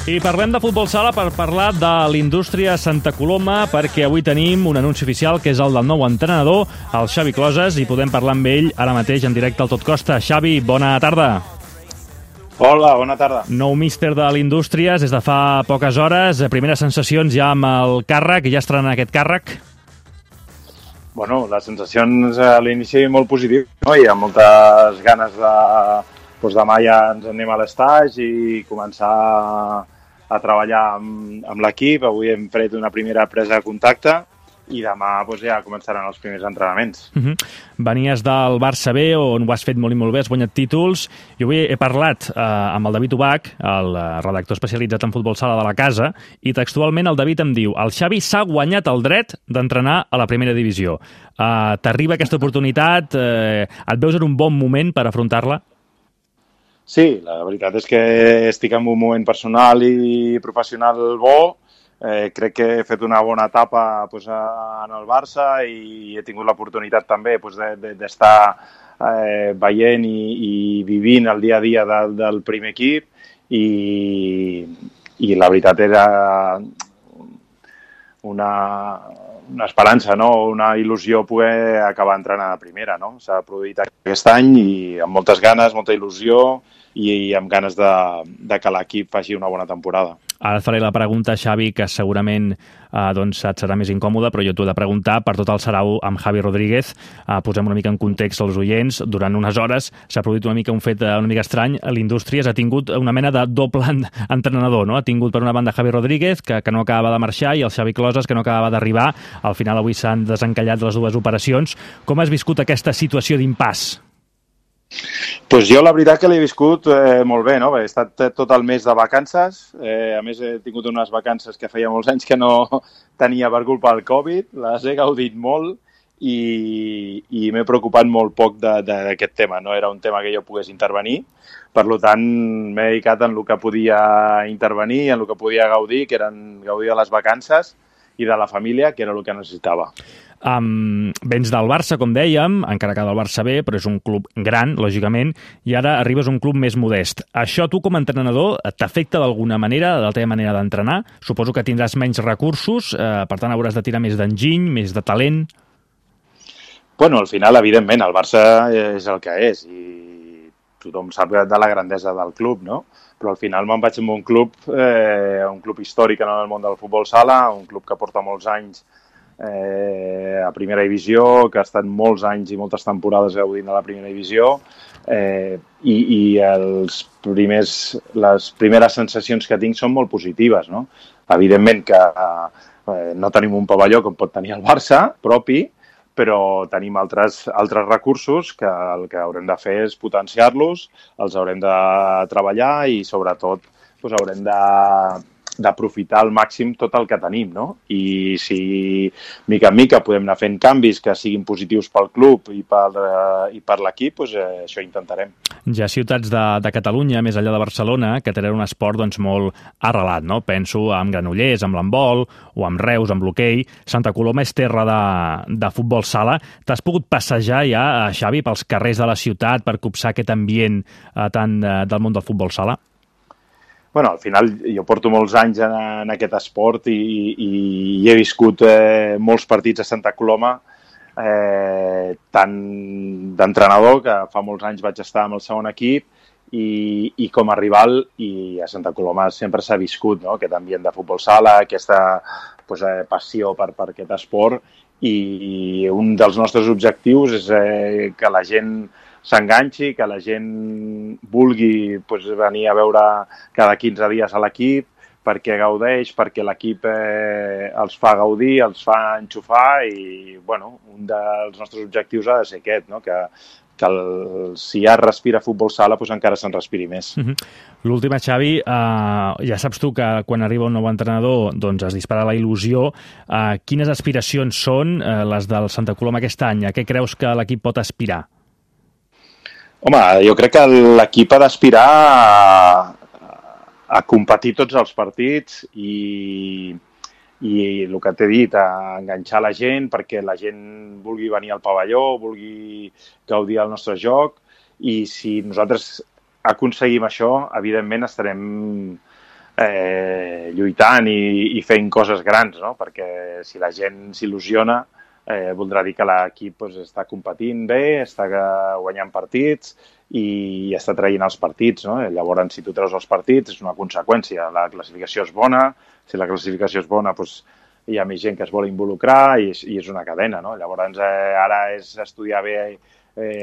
I parlem de futbol sala per parlar de l'Indústria Santa Coloma, perquè avui tenim un anunci oficial que és el del nou entrenador, el Xavi Closes, i podem parlar amb ell ara mateix en directe al Tot Costa. Xavi, bona tarda. Hola, bona tarda. Nou míster de l'Indústria des de fa poques hores. Primeres sensacions ja amb el càrrec, ja estrenant aquest càrrec? Bueno, les sensacions a l'inici molt positives, no? Hi ha moltes ganes de... Doncs demà ja ens anem a l'estaix i començar a treballar amb l'equip. Avui hem fet una primera presa de contacte i demà ja començaran els primers entrenaments. Venies del Barça B, on ho has fet molt i molt bé, has guanyat títols. Jo avui he parlat amb el David Ubach, el redactor especialitzat en futbol sala de la casa, i textualment el David em diu: el Xavi s'ha guanyat el dret d'entrenar a la primera divisió. T'arriba aquesta oportunitat? Et veus en un bon moment per afrontar-la? Sí, la veritat és que estic en un moment personal i professional bo. Crec que he fet una bona etapa en el Barça i he tingut l'oportunitat també d'estar veient i vivint el dia a dia del primer equip i la veritat era una esperança, no? Una il·lusió poder acabar entrenant a primera, no? S'ha produït aquest any i amb moltes ganes, molta il·lusió i amb ganes de que l'equip faci una bona temporada. Ara et faré la pregunta, Xavi, que segurament et serà més incòmoda, però jo t'ho he de preguntar per tot el sarau amb Javi Rodríguez. Posem una mica en context als oients. Durant unes hores s'ha produït un fet una mica estrany. L'Indústries ha tingut una mena de doble entrenador, no? Ha tingut per una banda Javi Rodríguez, que no acabava de marxar, i el Xavi Closes, que no acabava d'arribar. Al final avui s'han desencallat les dues operacions. Com has viscut aquesta situació d'impàs? Doncs jo la veritat que l'he viscut molt bé, no? He estat tot el mes de vacances, a més he tingut unes vacances que feia molts anys que no tenia per culpa del Covid, les he gaudit molt i m'he preocupat molt poc d'aquest tema, no era un tema que jo pogués intervenir, per tant m'he dedicat en el que podia intervenir, en el que podia gaudir, que eren gaudir de les vacances i de la família, que era el que necessitava. Vens del Barça, com dèiem, encara que del Barça B, però és un club gran, lògicament, i ara arribes a un club més modest. Això tu, com a entrenador, t'afecta d'alguna manera, de la teva manera d'entrenar? Suposo que tindràs menys recursos, per tant hauràs de tirar més d'enginy, més de talent? Bueno, al final, evidentment, el Barça és el que és i tothom sap de la grandesa del club, no? Però al final me'n vaig amb un club històric en el món del futbol sala, un club que porta molts anys a primera divisió, que ha estat molts anys i moltes temporades gaudint de la primera divisió i les primeres sensacions que tinc són molt positives, no? Evidentment que no tenim un pavelló com pot tenir el Barça propi, però tenim altres recursos que el que haurem de fer és potenciar-los, els haurem de treballar i sobretot haurem d'aprofitar al màxim tot el que tenim, no? I si mica en mica podem anar fent canvis que siguin positius pel club i per l'equip, això intentarem. Hi ha ciutats de Catalunya, més enllà de Barcelona, que tenen un esport molt arrelat, no? Penso en Granollers, amb l'handbol, o amb Reus, amb l'hoquei. Santa Coloma és terra de futbol sala. T'has pogut passejar ja, Xavi, pels carrers de la ciutat per copsar aquest ambient tant del món del futbol sala? Bueno, al final jo porto molts anys en aquest esport i he viscut molts partits a Santa Coloma, tant d'entrenador, que fa molts anys vaig estar amb el segon equip, i com a rival, i a Santa Coloma sempre s'ha viscut, no? Aquest ambient de futbol sala, aquesta passió per aquest esport, i un dels nostres objectius és que la gent s'enganxi, que la gent vulgui venir a veure cada 15 dies a l'equip, perquè gaudeix, perquè l'equip els fa gaudir, els fa enxufar i, un dels nostres objectius ha de ser aquest, no? Que si ja es respira futbol sala, encara se'n respiri més. L'última, Xavi, ja saps tu que quan arriba un nou entrenador es dispara la il·lusió. Quines aspiracions són les del Santa Coloma aquest any? A què creus que l'equip pot aspirar? Home, jo crec que l'equip ha d'aspirar a competir tots els partits i el que t'he dit, a enganxar la gent perquè la gent vulgui venir al pavelló, vulgui gaudir del nostre joc, i si nosaltres aconseguim això, evidentment estarem lluitant i fent coses grans, no? Perquè si la gent s'il·lusiona, voldrà dir que l'equip doncs, està competint bé, està guanyant partits i està traient els partits, no? Llavors, si tu treus els partits, és una conseqüència. La classificació és bona, si la classificació és bona, doncs, hi ha més gent que es vol involucrar i és una cadena, no? Llavors, ara és estudiar bé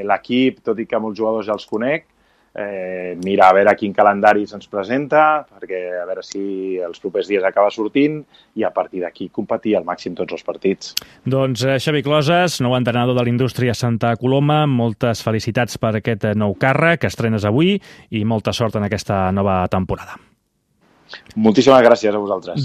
l'equip, tot i que molts jugadors ja els conec, mirar a veure quin calendari se'ns presenta, perquè a veure si els propers dies acaba sortint i a partir d'aquí competir al màxim tots els partits. Doncs Xavi Closes, nou entrenador de l'Indústria Santa Coloma, moltes felicitats per aquest nou càrrec que estrenes avui i molta sort en aquesta nova temporada. Moltíssimes gràcies a vosaltres.